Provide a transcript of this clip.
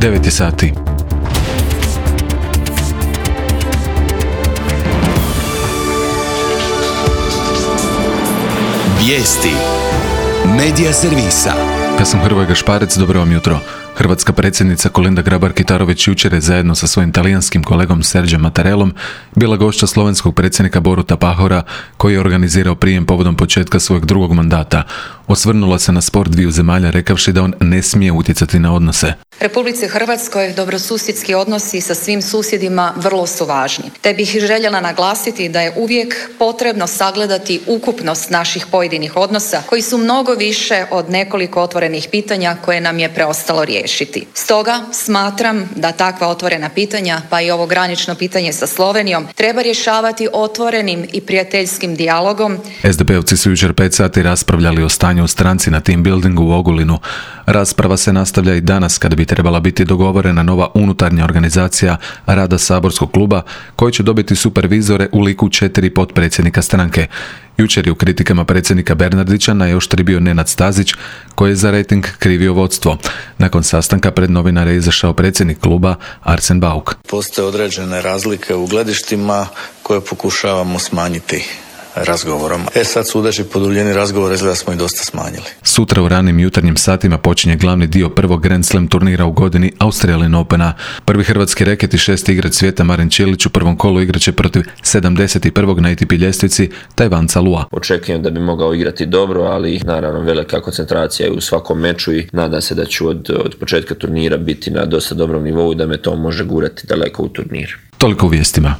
9 je sati. Vijesti. Medija servisa. Ja sam Hrvoje Gašparec, dobro vam jutro. Hrvatska predsjednica Kolinda Grabar-Kitarović jučer je zajedno sa svojim talijanskim kolegom Serđom Mattarellom bila gošća slovenskog predsjednika Boruta Pahora, koji je organizirao prijem povodom početka svojeg drugog mandata. Osvrnula se na spor dviju zemalja rekavši da on ne smije utjecati na odnose. Republici Hrvatskoj dobrosusjedski odnosi sa svim susjedima vrlo su važni. Te bih željela naglasiti da je uvijek potrebno sagledati ukupnost naših pojedinih odnosa koji su mnogo više od nekoliko otvorenih pitanja koje nam je preostalo riješiti. Stoga smatram da takva otvorena pitanja, pa i ovo granično pitanje sa Slovenijom, treba rješavati otvorenim i prijateljskim dijalogom. SDP-ovci su jučer 5 sati raspravljali o stanju u stranci na team buildingu u Ogulinu. Rasprava se nastavlja i danas kada bi trebala biti dogovorena nova unutarnja organizacija rada saborskog kluba koji će dobiti supervizore u liku 4 potpredsjednika stranke. Jučer je u kritikama predsjednika Bernardića najoštriji bio Nenad Stazić koji je za rejting krivio vodstvo. Nakon sastanka pred novinare je izašao predsjednik kluba Arsen Bauk. Postoje određene razlike u gledištima koje pokušavamo smanjiti razgovorom. Sad sudeći po duljini razgovora izgleda smo i dosta smanjili. Sutra u ranim jutarnjim satima počinje glavni dio prvog Grand Slam turnira u godini Australian Opena. Prvi hrvatski reket i 6. igrač svijeta Marin Čilić u prvom kolu igraće protiv 71. na ATP ljestvici Tajvanca Lua. Očekujem da bi mogao igrati dobro, ali naravno velika koncentracija u svakom meču i nadam se da ću od početka turnira biti na dosta dobrom nivou i da me to može gurati daleko u turnir. Toliko u vijestima.